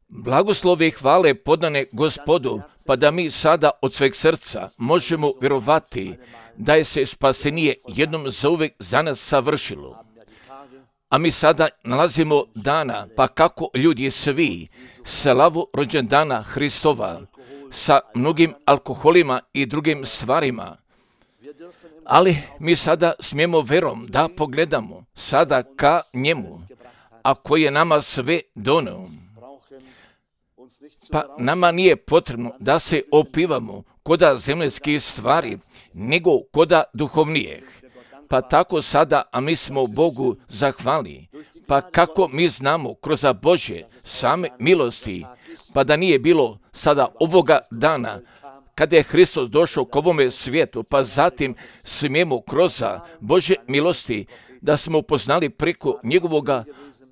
Blagoslove i hvale podane Gospodu, pa da mi sada od sveg srca možemo vjerovati da je se spasenije jednom zauvek za nas savršilo. A mi sada nalazimo dana, pa kako ljudi svi slavu rođendana Hristova sa mnogim alkoholima i drugim stvarima. Ali mi sada smijemo verom da pogledamo sada ka njemu, a koji je nama sve doneo. Pa nama nije potrebno da se opivamo koda zemljskih stvari, nego koda duhovnijih. Pa tako sada, a mi smo Bogu zahvalni. Pa kako mi znamo kroz Božje same milosti, pa da nije bilo sada ovoga dana, kada je Hristos došao k ovome svijetu, pa zatim smijemo kroz Božje milosti da smo poznali preko njegovoga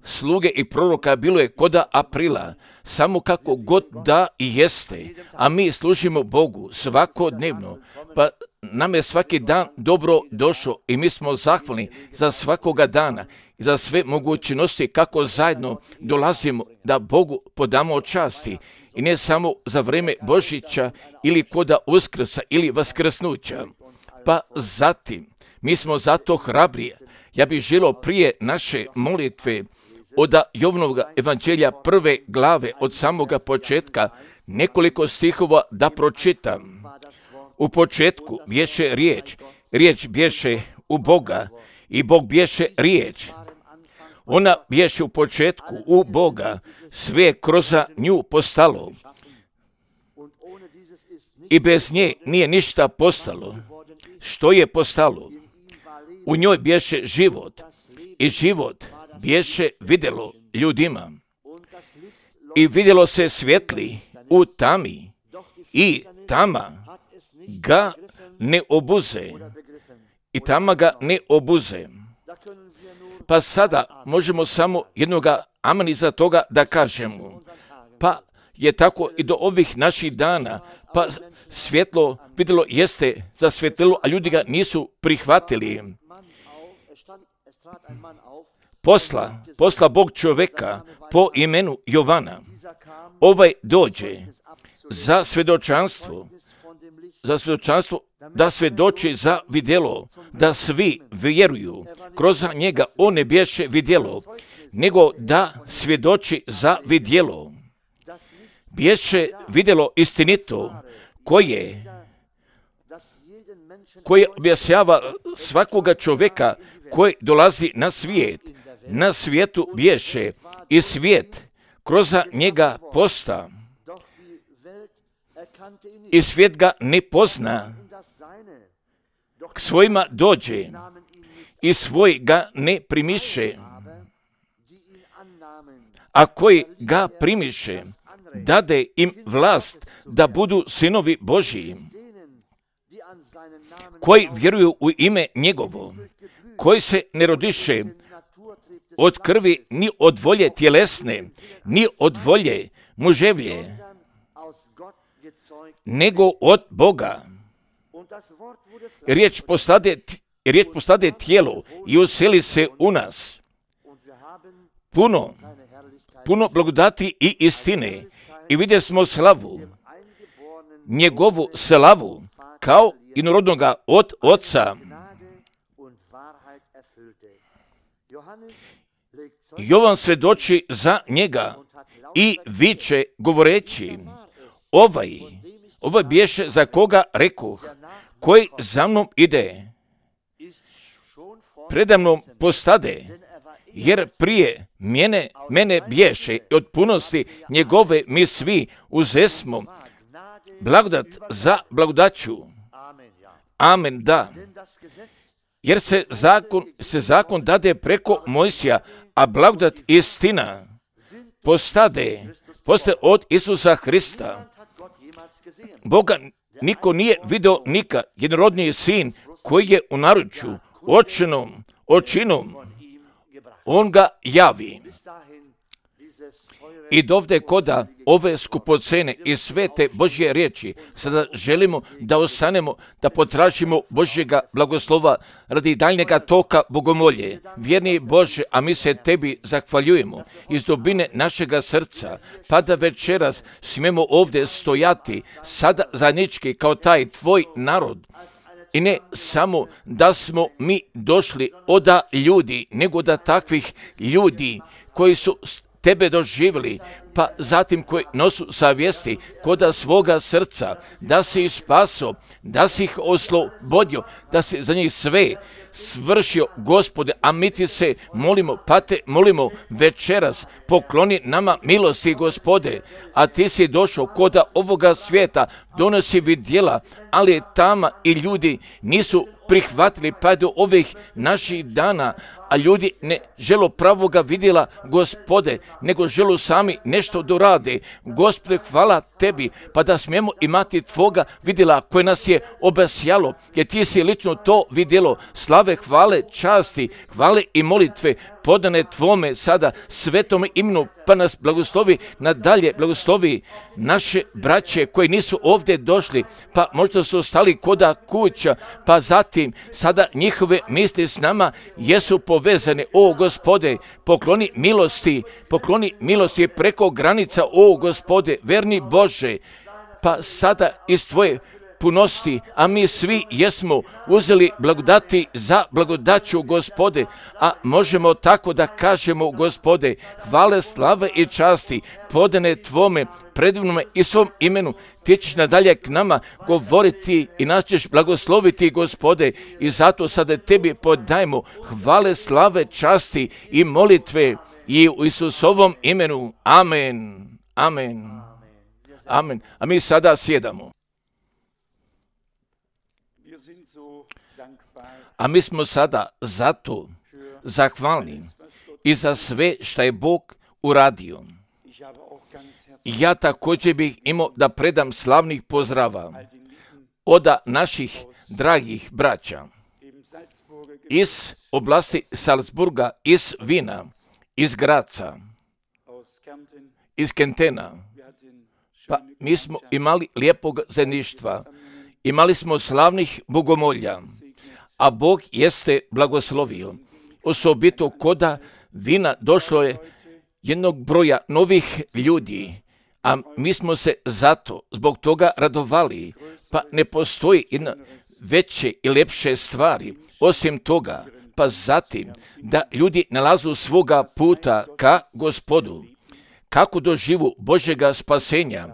sluge i proroka, bilo je koda aprila, samo kako god da i jeste, a mi služimo Bogu svakodnevno, pa nam je svaki dan dobro došao i mi smo zahvalni za svakoga dana i za sve mogućnosti kako zajedno dolazimo da Bogu podamo časti i ne samo za vrijeme Božića ili koda Uskrsa ili Vaskrsnuća. Pa zatim, mi smo zato hrabrije. Ja bih želio prije naše molitve od Jovanovog evanđelja 1. glave od samoga početka nekoliko stihova da pročitam. U početku bješe riječ, riječ bješe u Boga i Bog bješe riječ. Ona bješe u početku u Boga, sve kroz nju postalo. I bez nje nije ništa postalo. Što je postalo? U njoj bješe život i život bješe vidjelo ljudima. I vidjelo se svjetli u tami i tama ga ne obuze. I tama ga ne obuze. Pa sada možemo samo jednoga amen iza toga da kažemo. Pa je tako i do ovih naših dana, pa svjetlo vidjelo jeste zasvjetlilo, a ljudi ga nisu prihvatili. Posla Bog čovjeka po imenu Jovana. Ovaj dođe za svjedočanstvo, da svjedoči za vidjelo, da svi vjeruju. Kroz njega on ne bješe vidjelo, nego da svjedoči za vidjelo. Bješe vidjelo istinito, koje objašnjava svakoga čovjeka koji dolazi na svijet. Na svijetu bješe i svijet kroz njega posta. I svijet ga ne pozna. K svojima dođe i svoj ga ne primiše. A koji ga primiše, dade im vlast da budu sinovi Božji, koji vjeruju u ime njegovo, koji se ne rodiše od krvi, ni od volje tjelesne, ni od volje muževlje, nego od Boga. Riječ postade tijelo i useli se u nas. Puno blagodati i istine. I vidjeli smo slavu, njegovu slavu, kao inorodnoga od Oca. Jovan svjedoči za njega i viče govoreći, ovaj bješe za koga rekoh, koji za mnom ide, predamnom postade, jer prije mene bješe i od punosti njegove mi svi uzesmo blagodat za blagodaću. Amen, da. Jer se zakon dade preko Mojsija, a blagodat istina postaje od Isusa Hrista. Boga niko nije video nikad, jednorodniji sin koji je u naručju očinom, on ga javi. I dovde koda ove skupocene i svete Božje riječi, sada želimo da ostanemo, da potražimo Božjega blagoslova radi daljnjega toka bogomolje. Vjerni Bože, a mi se Tebi zahvaljujemo iz dubine našega srca, pa da večeras smijemo ovdje stojati sada zajednički kao taj Tvoj narod. I ne samo da smo mi došli oda ljudi, nego da takvih ljudi koji su Tebe doživjeli, pa zatim koji nosu savjesti koda svoga srca, da si ih spaso, da si ih oslobodio, da si za njih sve svršio, Gospode, a mi Ti se molimo, pa Te molimo večeras, pokloni nama milosti, Gospode, a Ti si došao koda ovoga svijeta, donosi vidjela, ali tamo i ljudi nisu prihvatili pa do ovih naših dana, a ljudi ne žele pravoga vidjela, Gospode, nego žele sami nešto dorade. Gospode, hvala Tebi, pa da smijemo imati Tvoga vidjela koje nas je obasjalo, jer Ti si lično to vidjelo. Slave, hvale, časti, hvale i molitve podane Tvome sada svetome imenu, pa nas blagoslovi nadalje, blagoslovi naše braće koji nisu ovdje došli, pa možda su ostali koda kuća, pa zatim sada njihove misli s nama jesu povezane. O Gospode, pokloni milosti preko granica, o Gospode, verni Bože, pa sada iz Tvoje punosti, a mi svi jesmo uzeli blagodati za blagodaću, Gospode, a možemo tako da kažemo, Gospode, hvale, slave i časti podane Tvome predivnome i svom imenu. Ti ćeš nadalje k nama govoriti i nas ćeš blagosloviti, Gospode, i zato sada Tebi podajemo hvale, slave, časti i molitve i u Isusovom imenu. Amen. Amen. Amen. A mi sada sjedamo. A mi smo sada zato zahvalni i za sve što je Bog uradio. Ja također bih imao da predam slavnih pozdrava od naših dragih braća iz oblasti Salzburga, iz Vina, iz Graca, iz Kentena. Pa mi smo imali lijepog zajedništva, imali smo slavnih bogomolja, a Bog jeste blagoslovio. Osobito koda Vina došlo je jednog broja novih ljudi, a mi smo se zbog toga radovali, pa ne postoji jedna veće i lepše stvari. Osim toga, pa zatim da ljudi nalazu svoga puta ka Gospodu, kako doživu Božjega spasenja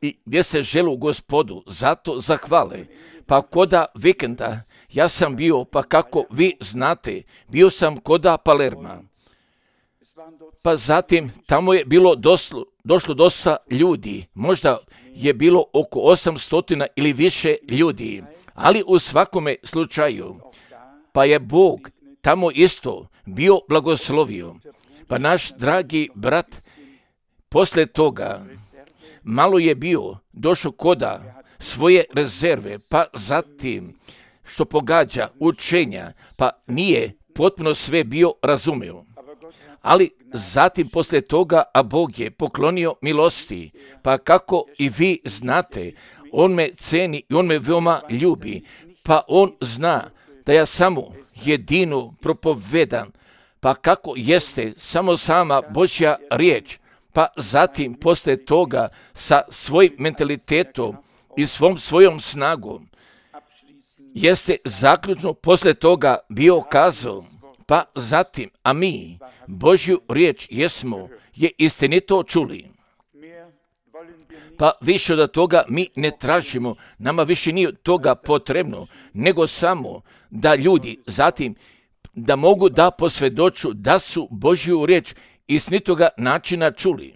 i gdje se želu Gospodu, zato zahvale. Pa koda vikenda ja sam bio, pa kako vi znate, bio sam koda Palerma. Pa zatim tamo je bilo došlo dosta ljudi, možda je bilo oko 800 ili više ljudi, ali u svakome slučaju, pa je Bog tamo isto bio blagoslovio. Pa naš dragi brat poslije toga malo je bio došao koda svoje rezerve, pa zatim što pogađa učenja, pa nije potpuno sve bio razumio. Ali zatim poslije toga, a Bog je poklonio milosti, pa kako i vi znate, On me ceni i On me veoma ljubi, pa On zna da ja samo jedinu propovedam, pa kako jeste samo sama Božja riječ, pa zatim poslije toga sa svojim mentalitetom i svojom snagom, jeste zaključno poslije toga bio kazao, pa zatim, a mi Božju riječ je istinito čuli. Pa više od toga mi ne tražimo, nama više nije toga potrebno, nego samo da ljudi zatim da mogu da posvjedoču da su Božju riječ istinitoga načina čuli.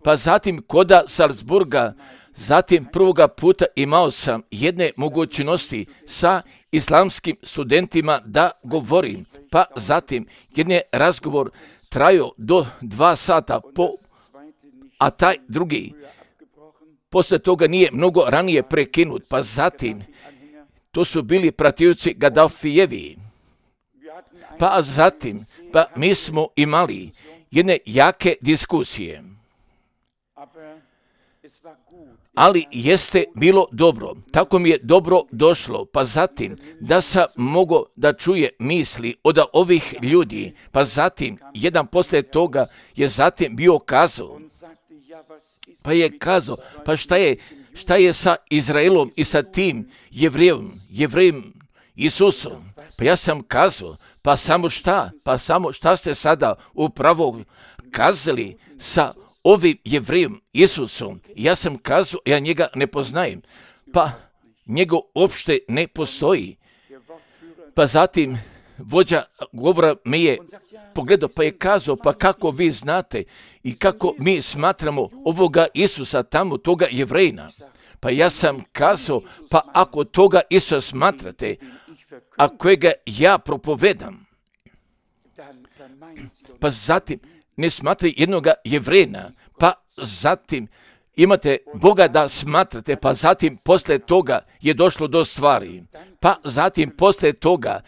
Pa zatim koda Salzburga, zatim prvoga puta imao sam jedne mogućnosti sa islamskim studentima da govorim, pa zatim jedan razgovor trajao do 2 sata, a taj drugi poslije toga nije mnogo ranije prekinut, pa zatim to su bili pratioci Gaddafijevi. Pa zatim, mi smo imali jedne jake diskusije. Ali jeste bilo dobro, tako mi je dobro došlo, pa zatim da sam mogao da čuje misli od ovih ljudi, pa zatim jedan poslije toga je zatim bio kazao, pa je kazao, pa šta je sa Izraelom i sa tim jevrejem Isusom? Pa ja sam kazao, pa samo šta ste sada upravo kazali sa ovim jevrejem Isusom? Ja sam kazao, ja njega ne poznajem, pa njega uopšte ne postoji. Pa zatim vođa govora me je pogledao, pa je kazao, pa kako vi znate i kako mi smatramo ovoga Isusa tamo, toga jevrejna? Pa ja sam kazao, pa ako toga Isusa smatrate, a kojega ja propovedam, pa zatim ne smatrate jednoga jevrejna, pa zatim imate Boga da smatrate, pa zatim poslije toga je došlo do stvari. Pa zatim poslije toga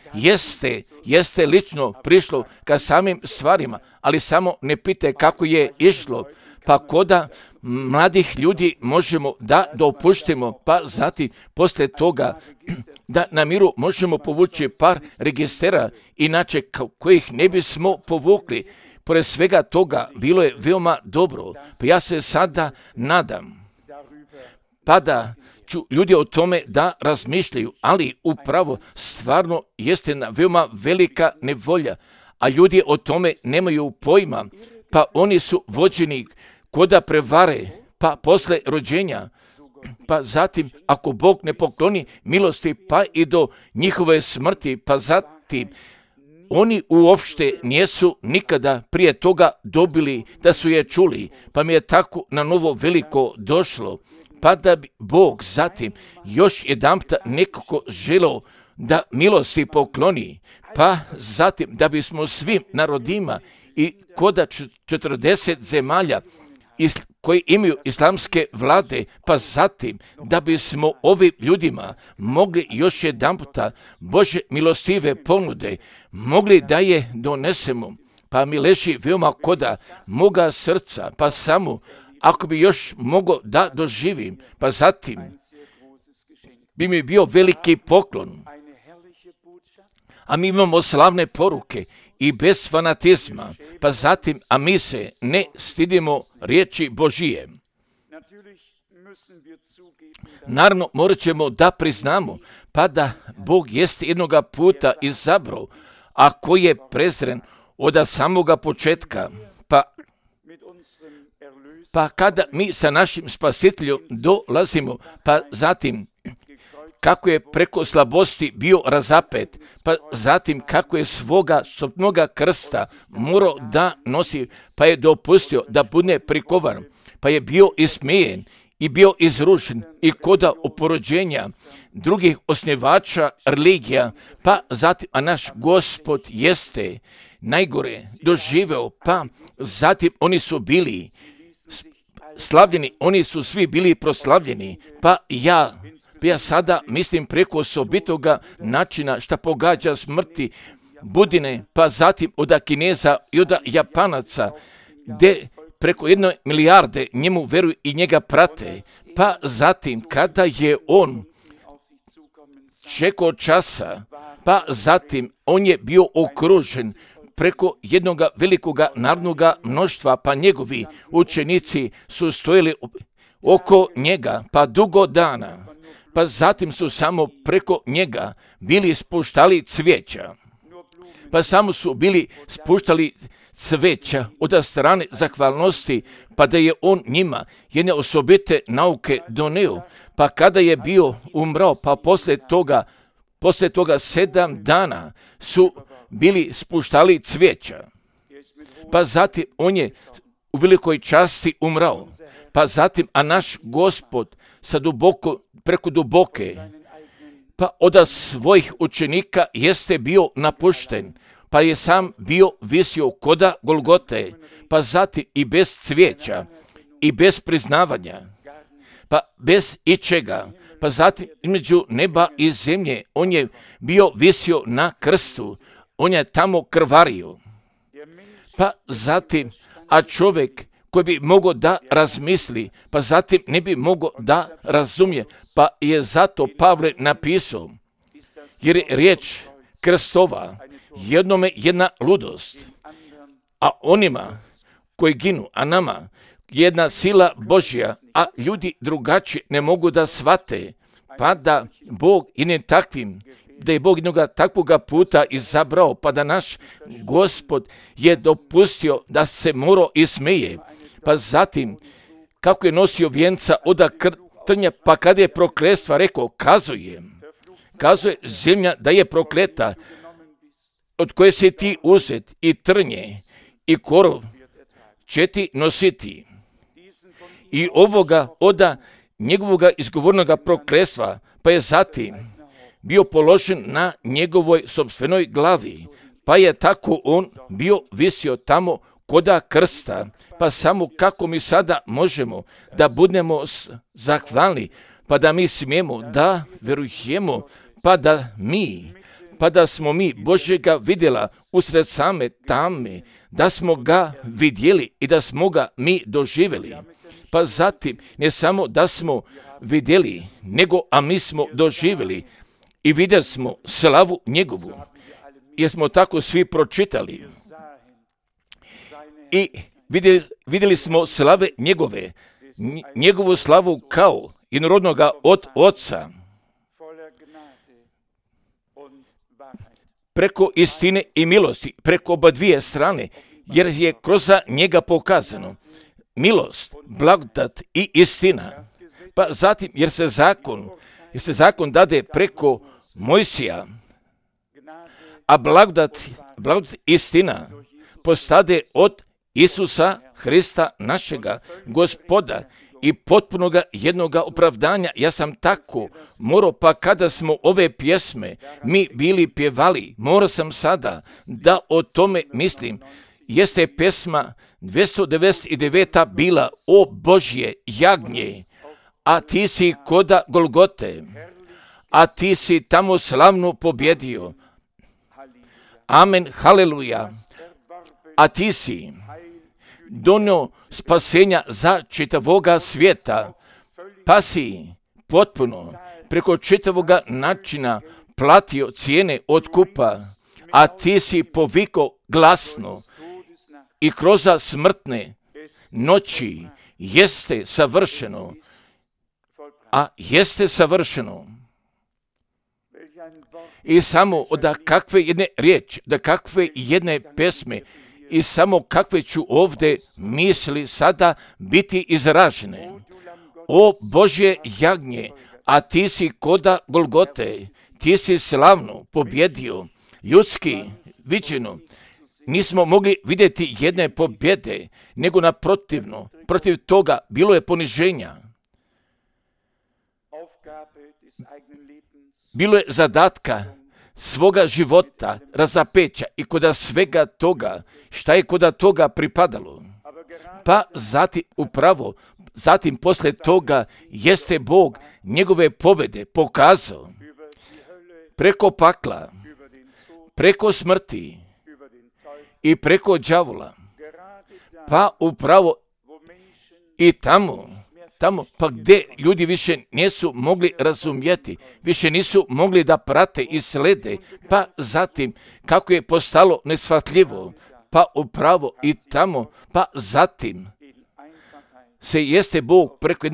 jeste lično prišlo ka samim stvarima, ali samo ne pite kako je išlo. Pa koda mladih ljudi možemo da dopuštimo, pa zatim poslije toga da na miru možemo povući par registera, inače kojih ne bismo povukli. Pored svega toga bilo je veoma dobro, pa ja se sada nadam, pa da ću ljudi o tome da razmišljaju, ali upravo stvarno jeste jedna veoma velika nevolja, a ljudi o tome nemaju pojma, pa oni su vođeni koda prevare, pa posle rođenja, pa zatim ako Bog ne pokloni milosti, pa i do njihove smrti, pa zatim oni uopšte nijesu nikada prije toga dobili da su je čuli, pa mi je tako na novo veliko došlo, pa da bi Bog zatim još jedanput nekako želeo da milosti pokloni, pa zatim da bismo svim narodima i koda 40 zemalja koji imaju islamske vlade, pa zatim da bismo ovim ljudima mogli još jedanputa Bože milostive ponude, mogli da je donesemo, pa mi leži veoma koda moga srca, pa samo ako bi još mogao da doživim, pa zatim bi mi bio veliki poklon. A mi imamo slavne poruke i bez fanatizma, pa zatim, a mi se ne stidimo riječi Božije. Naravno, morat ćemo da priznamo, pa da Bog jeste jednoga puta izabrao, a koji je prezren od samoga početka, pa kada mi sa našim spasiteljom dolazimo, pa zatim kako je preko slabosti bio razapet, pa zatim kako je svoga sobnoga krsta morao da nosi, pa je dopustio da bude prikovan, pa je bio ismijen i bio izrušen i koda oporođenja drugih osnivača religija, pa zatim, a naš Gospod jeste najgore doživeo, pa zatim oni su bili slavljeni, oni su svi bili proslavljeni, pa ja sada mislim preko osobitoga načina šta pogađa smrti Budine, pa zatim od Kineza i od Japanaca, gdje preko 1 milijarde njemu veruju i njega prate, pa zatim kada je on čekao časa, pa zatim on je bio okružen preko jednog velikog narodnog mnoštva, pa njegovi učenici su stojili oko njega, pa dugo dana, pa zatim su samo preko njega bili spuštali cvijeća, pa samo su bili spuštali cvijeća od strane zahvalnosti, pa da je on njima jedne osobite nauke doneo, pa kada je bio umrao, pa poslije toga 7 dana su bili spuštali cvijeća, pa zatim on je u velikoj časti umrao, pa zatim, a naš Gospod preko duboke, pa od svojih učenika jeste bio napušten, pa je sam bio visio koda Golgote, pa zatim i bez cvijeća i bez priznavanja, pa bez ičega, pa zatim između neba i zemlje on je bio visio na krstu, on je tamo krvario, pa zatim, a čovjek koji bi mogao da razmisli, pa zatim ne bi mogao da razumije, pa je zato Pavle napisao, jer je riječ krstova jednome jedna ludost, a onima koji ginu, a nama jedna sila Božja, a ljudi drugačije ne mogu da shvate, pa da Bog i ne takvim, da je Bog jednoga takvoga puta izabrao, pa da naš Gospod je dopustio da se morao i smeje, pa zatim kako je nosio vijenca od trnja, pa kada je prokletstva rekao, kazuje zemlja da je prokleta, od koje se ti uzet i trnje i korov će ti nositi. I ovoga oda njegovoga izgovornoga prokletstva, pa je zatim bio položen na njegovoj sopstvenoj glavi, pa je tako on bio visio tamo koda krsta, pa samo kako mi sada možemo da budemo zahvalni, pa da mi smijemo da verujemo, pa da smo mi Božjega vidjela usred same tame, da smo ga vidjeli i da smo ga mi doživjeli. Pa zatim ne samo da smo vidjeli, nego a mi smo doživjeli i vidjeli smo slavu njegovu, jer smo tako svi pročitali. I vidjeli smo slave njegove, njegovu slavu kao jednorodnoga od Oca, preko istine i milosti, preko oba dvije strane, jer je kroz njega pokazano milost, blagodat i istina. Pa zatim, jer se zakon dade preko Mojsija, a blagodat istina postade od Isusa Hrista našega Gospoda i potpunoga jednoga opravdanja. Ja sam tako morao, pa kada smo ove pjesme mi bili pjevali, morao sam sada da o tome mislim. Jeste pjesma 299. bila o Božje jagnje, a ti si koda Golgote, a ti si tamo slavno pobjedio. Amen, haleluja. A ti si donio spasenja za čitavoga svijeta, pa si potpuno preko čitavoga načina platio cijene otkupa, a ti si povikao glasno i kroz smrtne noći jeste savršeno, a jeste savršeno. I samo da kakve jedne riječi, da kakve jedne pesme i samo kakve ću ovdje misli sada biti izražene. O Božje jagnje, a ti si koda Golgote, ti si slavno pobjedio, ljudski viđeno. Nismo mogli vidjeti jedne pobjede, nego naprotivno, protiv toga bilo je poniženja. Bilo je zadatka svoga života, razapeća i koda svega toga, šta je koda toga pripadalo. Pa zatim poslije toga jeste Bog njegove pobjede pokazao preko pakla, preko smrti i preko đavola. Pa upravo i tamo, pa gdje ljudi više nisu mogli razumjeti, više nisu mogli da prate i slede, pa zatim kako je postalo neshvatljivo, pa upravo i tamo, pa zatim se jeste Bog preko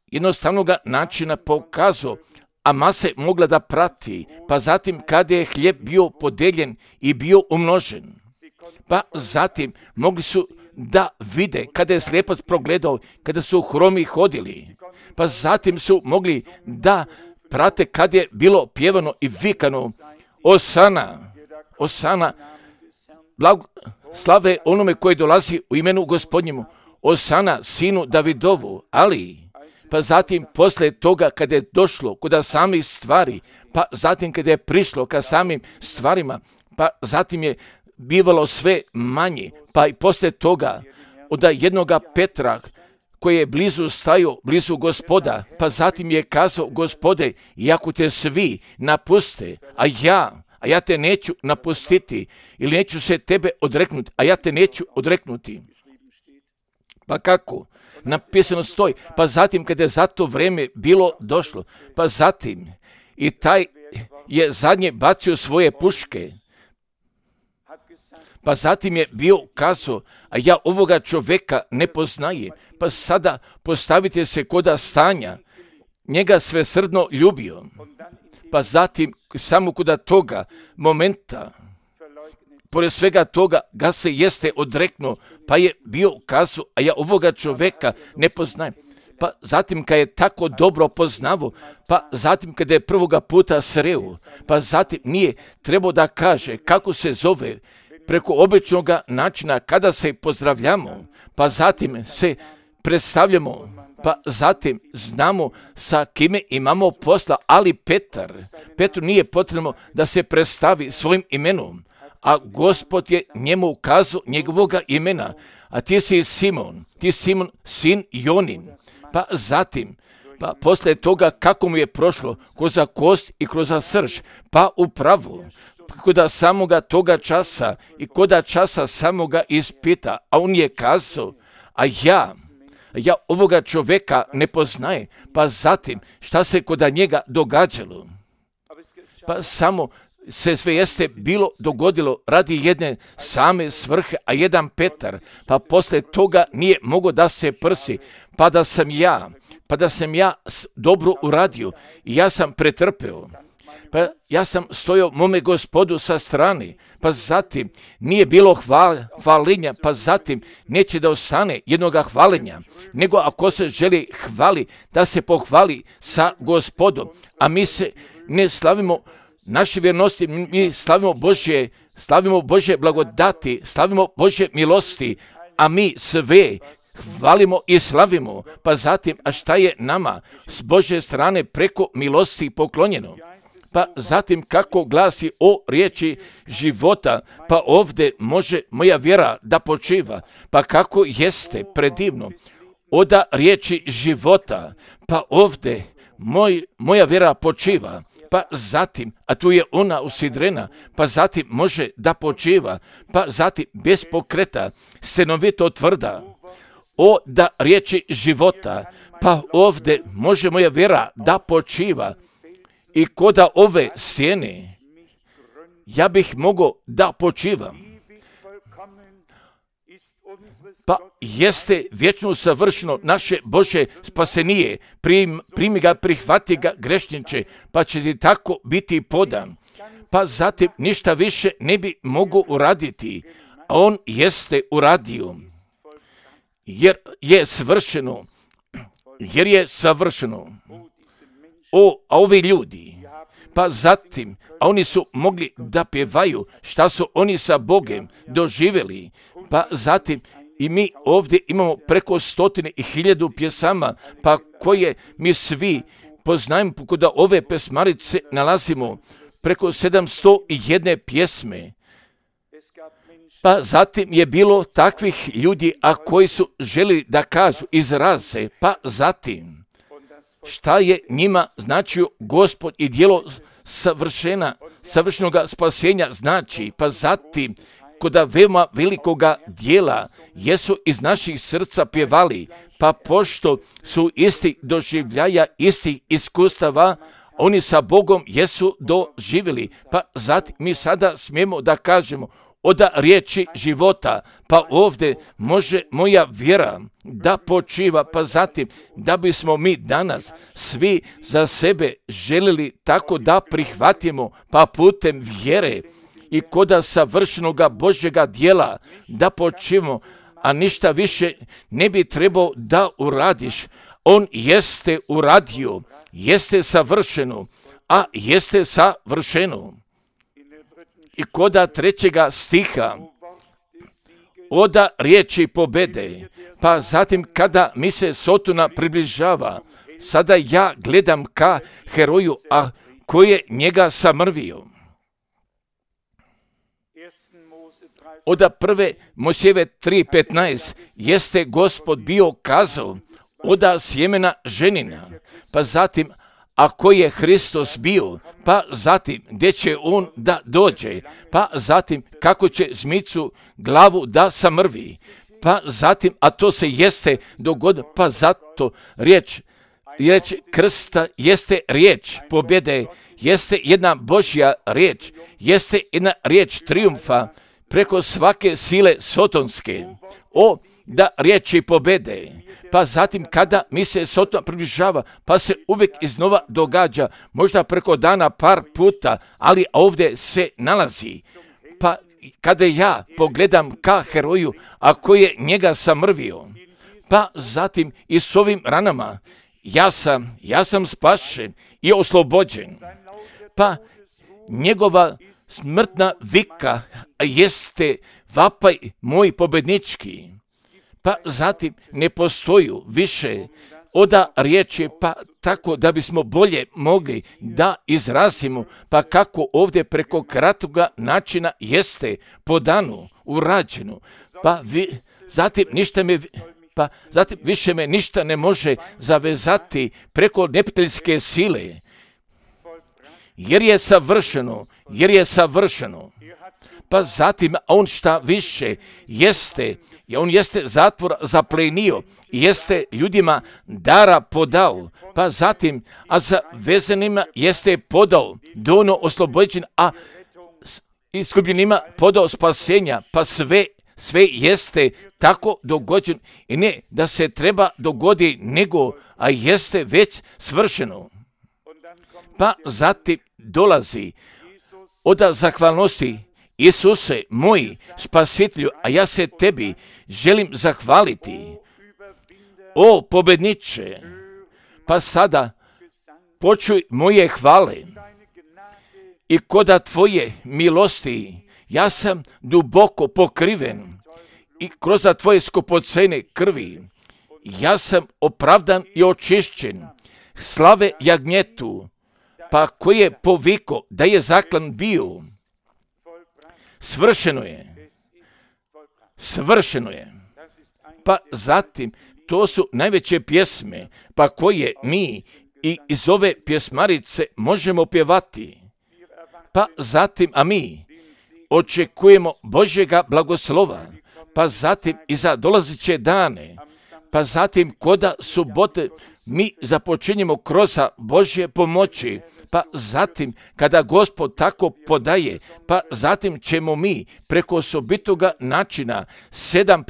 jednostavnog načina pokazao, a mase mogla da prati, pa zatim kada je hljeb bio podeljen i bio umnožen, pa zatim mogli su da vide kada je slijepac progledao, kada su hromi hodili, pa zatim su mogli da prate kad je bilo pjevano i vikano Osana, slave onome koji dolazi u imenu Gospodnjemu, Osana sinu Davidovu, ali pa zatim poslije toga kada je došlo kod samih stvari, pa zatim kada je prišlo ka samim stvarima, pa zatim je bivalo sve manje, pa i poslije toga od jednoga Petra koji je blizu Gospoda, pa zatim je kazao Gospode, iako te svi napuste, a ja te neću napustiti, ili neću se tebe odreknuti, a ja te neću odreknuti. Pa kako? Napisano stoji, pa zatim kada je za to vrijeme bilo došlo, pa zatim i taj je zadnje bacio svoje puške, pa zatim je bio kazao, a ja ovoga čovjeka ne poznajem, pa sada postavite se koda stanja, njega svesrdno ljubio, pa zatim samo koda toga momenta, pored svega toga ga se jeste odreknuo, pa je bio kazao, a ja ovoga čovjeka ne poznajem. Pa zatim kad je tako dobro poznavo, pa zatim kada je prvoga puta sreo, pa zatim nije trebao da kaže kako se zove preko običnog načina kada se pozdravljamo, pa zatim se predstavljamo, pa zatim znamo sa kime imamo posla, ali Petru nije potrebno da se predstavi svojim imenom, a Gospod je njemu ukazao njegovoga imena, a ti si Simon, sin Jonin. Pa zatim, pa poslije toga kako mu je prošlo kroz kost i kroz srž, pa upravo, koda samoga toga časa i koda časa samoga ispita, a on je kazao, a ja ovoga čovjeka ne poznajem, pa zatim šta se koda njega događalo, pa samo se sve jeste bilo dogodilo radi jedne same svrhe, a jedan Petar, pa poslije toga nije mogao da se prsi, pa da sam ja dobro uradio i ja sam pretrpeo, pa ja sam stojao mome Gospodu sa strane, pa zatim nije bilo hvalenja, pa zatim neće da ostane jednoga hvalenja, nego ako se želi hvali, da se pohvali sa Gospodom, a mi se ne slavimo naše vjernosti, mi slavimo Božje blagodati, slavimo Božje milosti, a mi sve hvalimo i slavimo, pa zatim, a šta je nama s Božje strane preko milosti poklonjeno? Pa zatim kako glasi o riječi života, pa ovdje može moja vjera da počiva, pa kako jeste predivno, oda riječi života, pa ovdje moja vjera počiva, pa zatim, a tu je ona usidrena, pa zatim može da počiva, pa zatim bez pokreta, stanovito tvrda, da riječi života, pa ovdje može moja vjera da počiva i koda ove stijene, ja bih mogao da počivam. Pa jeste vječno savršeno naše Božje spasenije, primi ga, prihvati ga grešniče, pa će ti tako biti podan. Pa zatim ništa više ne bi mogao uraditi, a on jeste uradio, jer je savršeno. A ovi ljudi, pa zatim, a oni su mogli da pjevaju šta su oni sa Bogom doživjeli, pa zatim i mi ovdje imamo preko 100.000 pjesama, pa koje mi svi poznajemo, kod ove pesmarice nalazimo preko 701 pjesme. Pa zatim je bilo takvih ljudi, a koji su želi da kažu, izraze, pa zatim šta je njima značio Gospod i djelo savršenog spasenja znači, pa zatim koda veoma velikoga dijela jesu iz naših srca pjevali, pa pošto su isti doživljaja, istih iskustava, oni sa Bogom jesu doživjeli, pa zatim mi sada smijemo da kažemo oda riječi života, pa ovdje može moja vjera da počiva, pa zatim da bismo mi danas svi za sebe želili tako da prihvatimo, pa putem vjere i koda savršenoga Božjega djela da počivamo, a ništa više ne bi trebao da uradiš. On jeste uradio, jeste savršeno, a jeste savršeno. I koda 3. stiha, oda riječi pobede, pa zatim kada mi se Sotona približava, sada ja gledam ka heroju, a koji je njega samrvio. Oda 1. Mojsijeve 3.15 jeste Gospod bio kazao oda sjemena ženina, pa zatim, ako je Hristos bio, pa zatim gdje će on da dođe, pa zatim kako će zmicu glavu da samrvi, pa zatim, a to se jeste dogodilo, pa zato riječ krsta jeste riječ pobjede, jeste jedna Božja riječ, jeste jedna riječ trijumfa preko svake sile sotonske. Da riječi pobjede, pa zatim kada mi se Soton približava, pa se uvijek iznova događa, možda preko dana par puta, ali ovdje se nalazi. Pa kada ja pogledam ka heroju, ako je njega samrvio, pa zatim i s ovim ranama, ja sam spašen i oslobođen. Pa njegova smrtna vika jeste vapaj moj pobjednički. Pa zatim ne postoji više oda riječi, pa tako da bismo bolje mogli da izrazimo, pa kako ovdje preko kratoga načina jeste po danu urađeno. Zatim više me ništa ne može zavezati preko neprijateljske sile, jer je savršeno. Pa zatim on šta više jeste, on jeste zatvor zaplenio, jeste ljudima dara podao, pa zatim, a za vezanima jeste podao dono oslobođen, a iskupljenima podao spasenja, pa sve jeste tako dogođen i ne da se treba dogodi nego, a jeste već svršeno. Pa zatim dolazi od zahvalnosti. Isuse, moj spasitelju, a ja se tebi želim zahvaliti. O pobjedniče, pa sada počuj moje hvale i koda tvoje milosti ja sam duboko pokriven i kroz tvoje skupocene krvi ja sam opravdan i očišćen. Slave jagnjetu, pa koji je poviko da je zaklan bio. Svršeno je. Pa zatim, to su najveće pjesme, pa koje mi i iz ove pjesmarice možemo pjevati. Pa zatim, a mi očekujemo Božjega blagoslova, pa zatim i za dolazeće dane, pa zatim koda subote mi započinjemo kroz Božje pomoći, pa zatim kada Gospod tako podaje, pa zatim ćemo mi preko osobitoga načina 7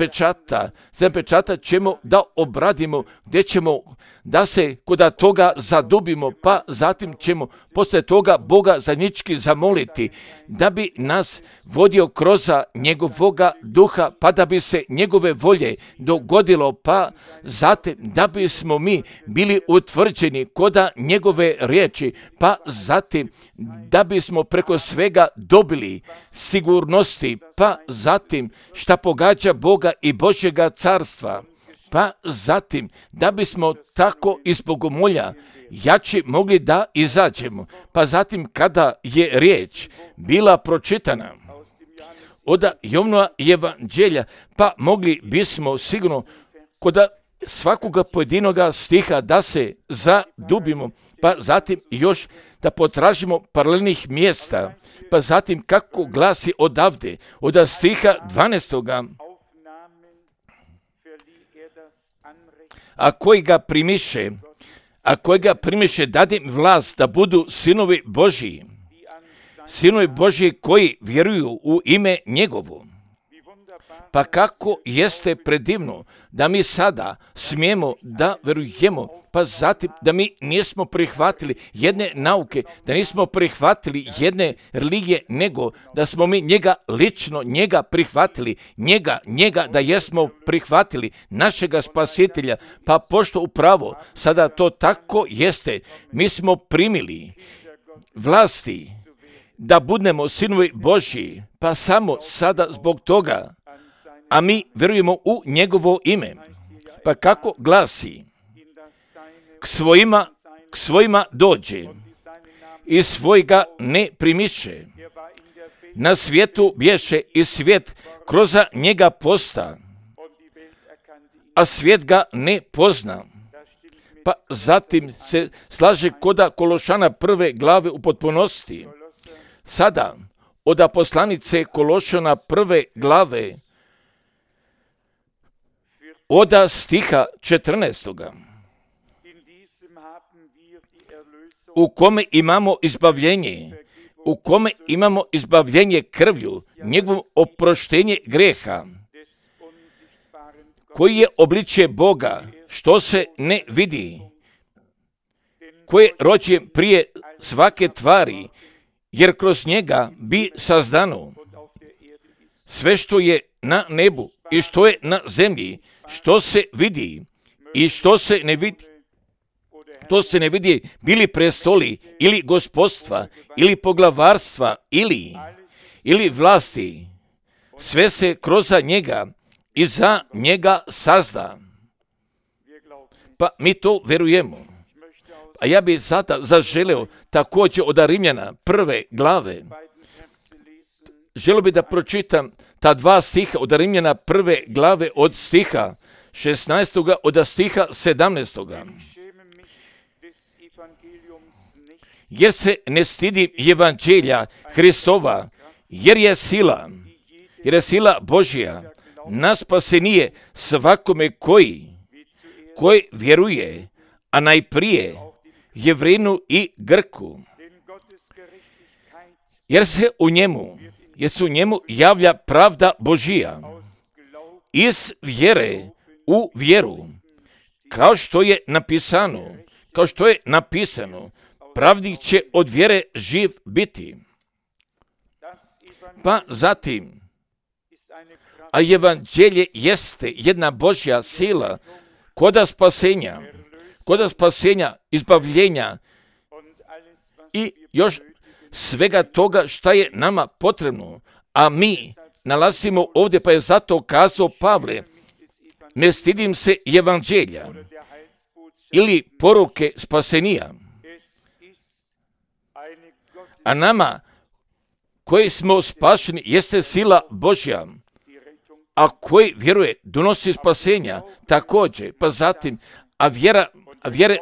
pečata ćemo da obradimo, gdje ćemo da se koda toga zadubimo, pa zatim ćemo poslije toga Boga zajednički zamoliti, da bi nas vodio kroz njegovoga duha, pa da bi se njegove volje dogodilo, pa zatim da bismo mi bili utvrđeni koda njegove riječi, pa zatim da bismo preko svega dobili sigurnosti, pa zatim šta pogađa Boga i Božjega carstva, pa zatim da bismo tako iz bogomolja jači mogli da izađemo, pa zatim kada je riječ bila pročitana od Jovanova evanđelja, pa mogli bismo sigurno kod svakoga pojedinoga stiha da se zadubimo, pa zatim još da potražimo paralelnih mjesta, pa zatim kako glasi odavde, od stiha 12. A koji ga primiše dade im vlast da budu sinovi Božji koji vjeruju u ime njegovo. Pa kako jeste predivno da mi sada smijemo da verujemo, pa zatim da mi nismo prihvatili jedne nauke, da nismo prihvatili jedne religije, nego da smo mi njega prihvatili, njega da jesmo prihvatili, našega spasitelja, pa pošto upravo sada to tako jeste, mi smo primili vlasti da budemo sinovi Božji, pa samo sada zbog toga, a mi verujemo u njegovo ime. Pa kako glasi, k svojima dođe i svojega ne primiše. Na svijetu bješe i svijet kroz njega posta, a svijet ga ne pozna. pa zatim se slaže koda Kološana 1. glave u potpunosti. Sada, od poslanice Kološana 1. glave, od stiha 14. u kome imamo izbavljenje krvlju, njegovo oproštenje greha, koji je obličje Boga, što se ne vidi, koji je rođen prije svake tvari, jer kroz njega bi sazdano sve što je na nebu i što je na zemlji, što se vidi i što se ne vidi. To se ne vidi, bili prestoli, ili gospodstva, ili poglavarstva, ili vlasti. Sve se kroz njega i za njega sazda. Pa mi to verujemo. A ja bih sada zaželeo također od Rimljana 1. glave. Želio bih da pročitam ta 2 stiha od Rimljana 1. glave od stiha 16. od stiha 17. Jer se ne stidim evanđelja Hristova, jer je sila Božja na spasenje svakome koji vjeruje, a najprije Jevrinu i Grku. Jer se u njemu javlja pravda Božija iz vjere u vjeru, kao što je napisano, pravnik će od vjere živ biti. Pa zatim, a evanđelje jeste jedna Božja sila koda spasenja, izbavljenja i još svega toga šta je nama potrebno. A mi nalazimo ovdje, pa je zato kazao Pavle, ne stidim se evanđelja ili poruke spasenija. A nama koji smo spašeni jeste sila Božja, a koji vjeruje donosi spasenja također. Pa zatim, a vjera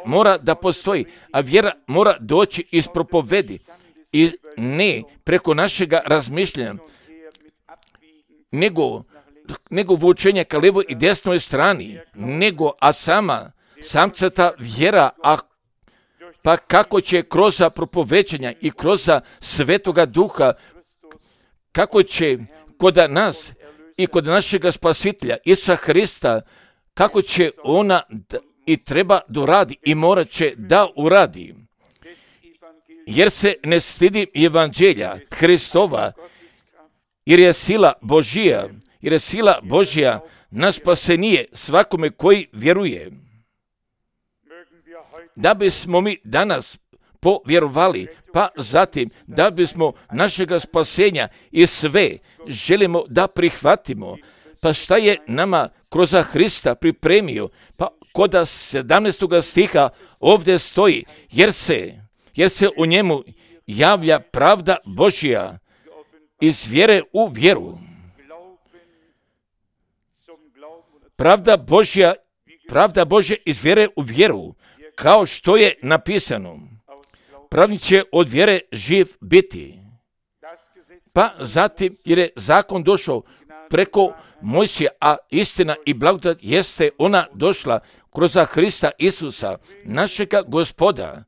mora da postoji, a vjera mora doći iz propovedi i ne preko našega razmišljanja, nego vučenja ka levoj i desnoj strani, samcata vjera, pa kako će kroz propoveđenja i kroz Svetoga Duha, kako će kod nas i kod našega Spasitelja Isusa Hrista, kako će ona i treba da uradi i morat će da uradi. Jer se ne stidi evanđelja Hristova, jer je sila Božja na spasenje svakome koji vjeruje. Da bismo mi danas povjerovali, pa zatim da bismo našega spasenja i sve želimo da prihvatimo, pa šta je nama kroz Hrista pripremio, pa kod 17. stiha ovdje stoji, jer se u njemu javlja pravda Božja iz vjere u vjeru. Pravda Božja iz vjere u vjeru, kao što je napisano, pravnik će od vjere živ biti. Pa zatim, jer je zakon došao preko Mojsija, a istina i blagodat jeste ona došla kroz Hrista Isusa, našega Gospoda,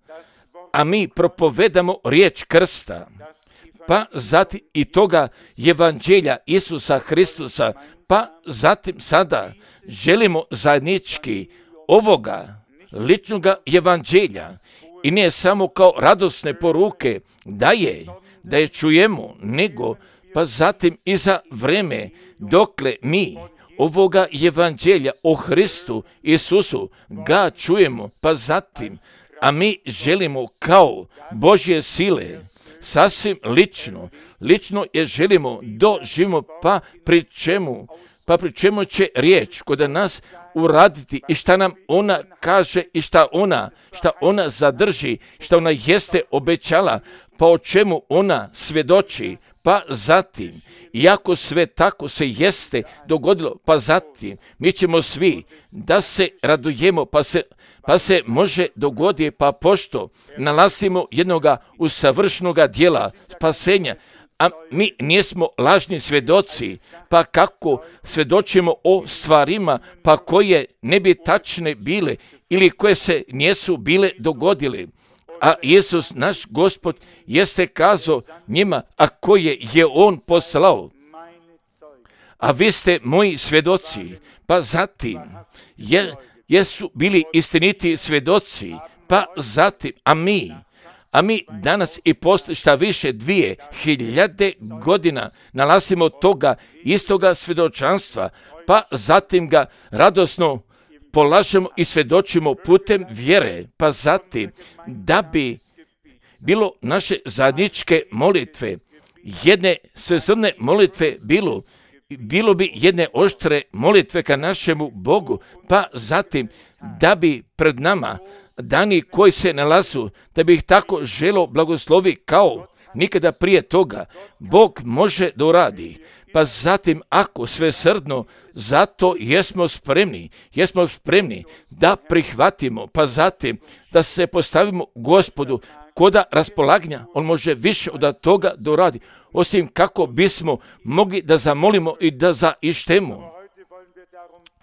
a mi propovedamo riječ krsta, pa zatim i toga evanđelja Isusa Hristusa, pa zatim sada želimo zajednički ovoga ličnoga evanđelja i ne samo kao radosne poruke da je čujemo, nego pa zatim i za vreme dokle mi ovoga evanđelja o Hristu Isusu ga čujemo, pa zatim, a mi želimo kao Božje sile, sasvim lično je želimo doživimo, pa pri čemu pa pri čemu će riječ kod nas uraditi i šta nam ona kaže i šta ona zadrži, šta ona jeste obećala, pa o čemu ona svjedoči, pa zatim, iako sve tako se jeste dogodilo, pa zatim, mi ćemo svi da se radujemo, pa se može dogoditi, pa pošto nalazimo jednoga usavršenoga dijela spasenja, a mi nismo lažni svjedoci, pa kako svjedočimo o stvarima, pa koje ne bi tačne bile ili koje se nisu bile dogodile. A Isus, naš Gospod, jeste kazao njima, a koje je On poslao. A vi ste moji svjedoci, pa zatim jesu bili istiniti svjedoci, pa zatim, a mi danas i posle šta više 2000 godina nalazimo toga istoga svjedočanstva, pa zatim ga radosno polažemo i svjedočimo putem vjere, pa zatim da bi bilo naše zajedničke molitve, jedne svesrdne molitve bilo bi jedne oštre molitve ka našemu Bogu, pa zatim da bi pred nama dani koji se nalazu, da bi ih tako želo blagoslovi kao nikada prije toga, Bog može da uradi. Pa zatim ako svesrdno, zato jesmo spremni da prihvatimo, pa zatim da se postavimo Gospodu koda raspolaganja, On može više od toga da uradi, osim kako bismo mogli da zamolimo i da zaištemo.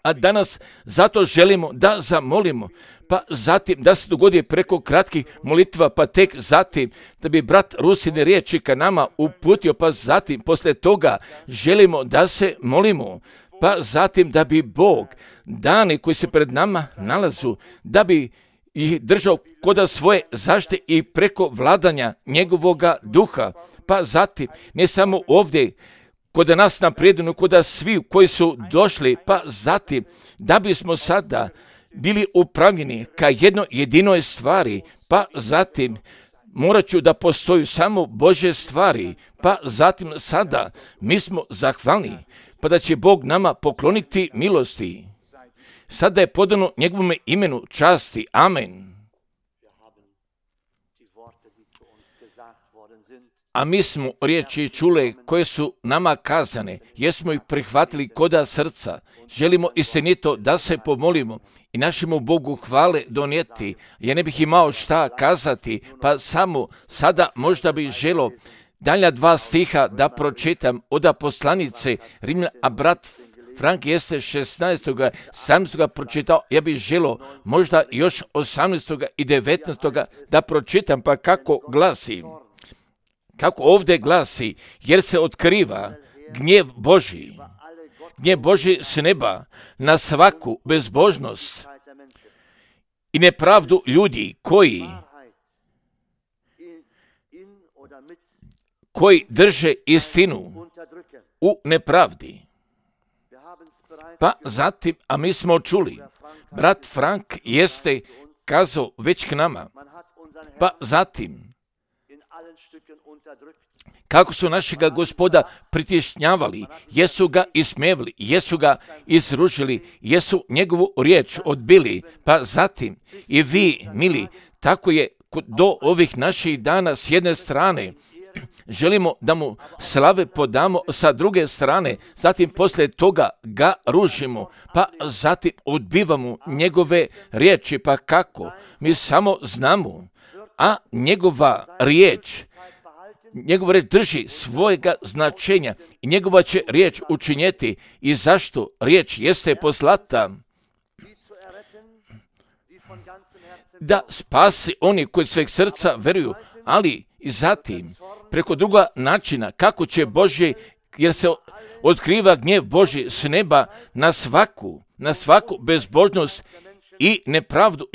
A danas zato želimo da zamolimo, pa zatim da se dogodi preko kratkih molitva, pa tek zatim da bi brat Rusine riječi ka nama uputio, pa zatim posle toga želimo da se molimo, pa zatim da bi Bog dani koji se pred nama nalazu, da bi ih držao koda svoje zaštite i preko vladanja njegovoga duha, pa zatim ne samo ovdje kod nas na predinu, kod svi koji su došli, pa zatim da bismo sada bili upravljeni ka jednoj jedinoj stvari, pa zatim morat ću da postoju samo Božje stvari, pa zatim sada mi smo zahvalni, pa da će Bog nama pokloniti milosti. Sada je podano njegovome imenu časti. Amen. A mi smo riječi čule koje su nama kazane, jesmo ih prihvatili koda srca, želimo istinito da se pomolimo i našemu Bogu hvale donijeti. Ja ne bih imao šta kazati, pa samo sada možda bih želo dalja 2 stiha da pročitam od poslanice Rimljana, a brat Frank jeste 16. 17. pročitao, ja bih želo možda još 18. i 19. da pročitam, pa kako glasi. Kako ovdje glasi, jer se otkriva gnjev Božji s neba na svaku bezbožnost i nepravdu ljudi koji drže istinu u nepravdi. Pa zatim, a mi smo čuli, brat Frank jeste kazao već k nama, pa zatim, kako su našega Gospoda pritišnjavali, jesu ga ismevali, jesu ga izružili, jesu njegovu riječ odbili, pa zatim i vi, mili, tako je do ovih naših dana s jedne strane, želimo da mu slave podamo sa druge strane, zatim poslije toga ga ružimo, pa zatim odbivamo njegove riječi, pa kako? Mi samo znamo, a njegova riječ drži svojega značenja i njegova će riječ učinjeti. I zašto riječ jeste poslata? Da spasi oni koji sveg srca veruju, ali i zatim preko druga načina kako će Božje, jer se otkriva gnjev Božji s neba na svaku bezbožnost i nepravdu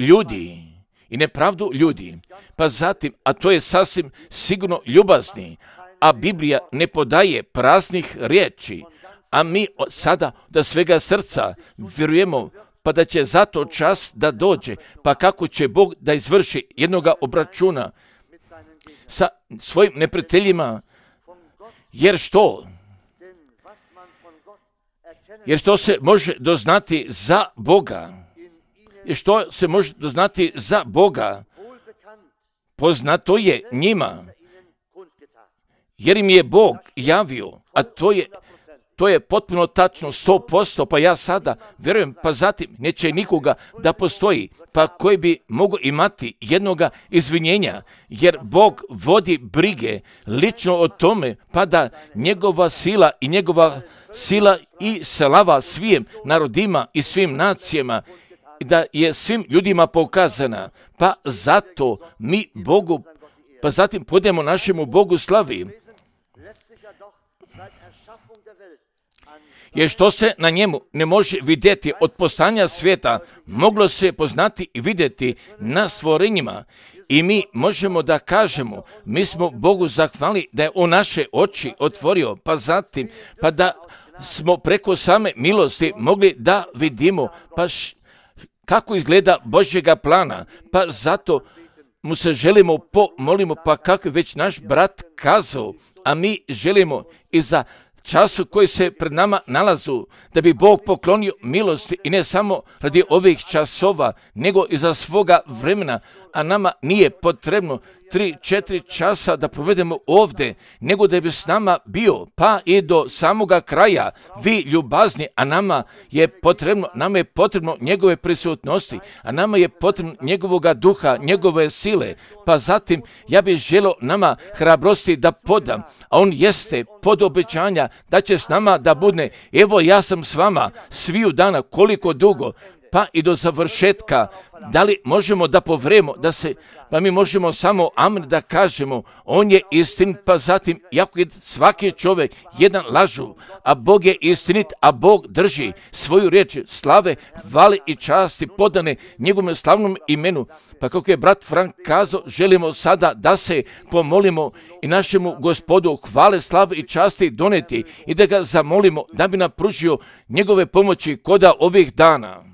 ljudi. Pa zatim, a to je sasvim sigurno ljubazni, a Biblija ne podaje praznih riječi, a mi sada da svega srca vjerujemo, pa da će zato čas da dođe, pa kako će Bog da izvrši jednoga obračuna sa svojim neprijateljima, jer što? Jer što se može doznati za Boga, jer što se može doznati za Boga, poznato je njima, jer im je Bog javio, a to je potpuno tačno 100%, pa ja sada vjerujem, pa zatim neće nikoga da postoji, pa koji bi mogao imati jednoga izvinjenja, jer Bog vodi brige lično o tome, pa da njegova sila i slava svim narodima i svim nacijama, da je svim ljudima pokazana, pa zato mi Bogu, pa zatim podemo našemu Bogu slavi. Jer što se na njemu ne može vidjeti od postanja svijeta, moglo se poznati i vidjeti na stvorenjima. I mi možemo da kažemo, mi smo Bogu zahvalni da je on naše oči otvorio, pa zatim, pa da smo preko same milosti mogli da vidimo, pa kako izgleda Božjega plana, pa zato mu se želimo pomolimo, pa kako je već naš brat kazao, a mi želimo i za času koji se pred nama nalazu, da bi Bog poklonio milosti i ne samo radi ovih časova, nego i za svoga vremena, a nama nije potrebno 3-4 časa da provedemo ovdje, nego da bi s nama bio, pa i do samoga kraja, vi ljubazni, a nama je potrebno njegove prisutnosti, a nama je potrebno njegovoga duha, njegove sile, pa zatim ja bih želio nama hrabrosti da podam, a on jeste pod obećanja da će s nama da bude, evo ja sam s vama sviju dana, koliko dugo, pa i do završetka. Da li možemo da povremo, pa mi možemo samo amen da kažemo, on je istin, pa zatim, jako je svaki čovjek jedan lažu, a Bog je istinit, a Bog drži svoju riječ slave, hvale i časti podane njegovom slavnom imenu. Pa kako je brat Frank kazao, želimo sada da se pomolimo i našemu Gospodu hvale, slave i časti doneti i da ga zamolimo da bi nam pružio njegove pomoći koda ovih dana.